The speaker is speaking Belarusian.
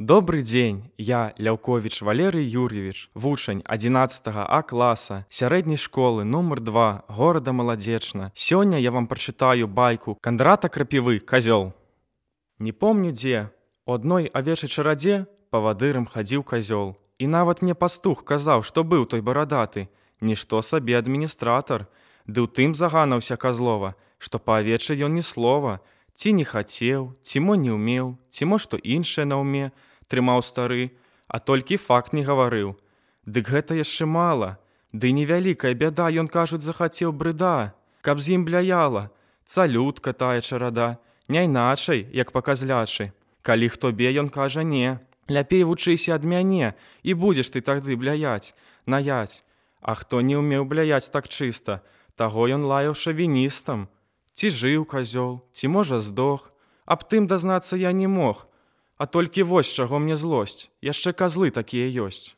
Добрый дзень, я Ляўковіч Валерый Юр'евіч, вучань 11 А класа сярэдняй школы нумар 2 горада Маладзечна. Сёння я вам прачытаю байку Кандрата Крапівы «Казёл». Не помню дзе, у адной авечай чарадзе павадырам хадзіў казёл. І нават мне пастух казаў, што быў той барадаты, нішто сабе адміністратар. Ды ў тым заганаўся казлова, што па авечай ён ні слова, ці не хацеў, ці мо не ўмеў, ці мо што іншае на ўме трымаў стары, а толькі факт не гаварыў. Дык гэта яшчэ мала, ды невялікая бяда, ён, кажуць, захацеў брыда, каб з ім бляяла, цалютка тая чарада, не іначай, як па казлячы. Калі хто бе, ён кажа не, ляпей вучыся ад мяне, і будзеш ты тады бляяць, наяць. А хто не ўмеў бляяць так чыста, таго ён лаяў шавіністам. Ці жыў казёл, ці можа здох, аб тым дазнацца я не мог. А толькі вось чаго мне злосць, яшчэ казлы такія ёсць.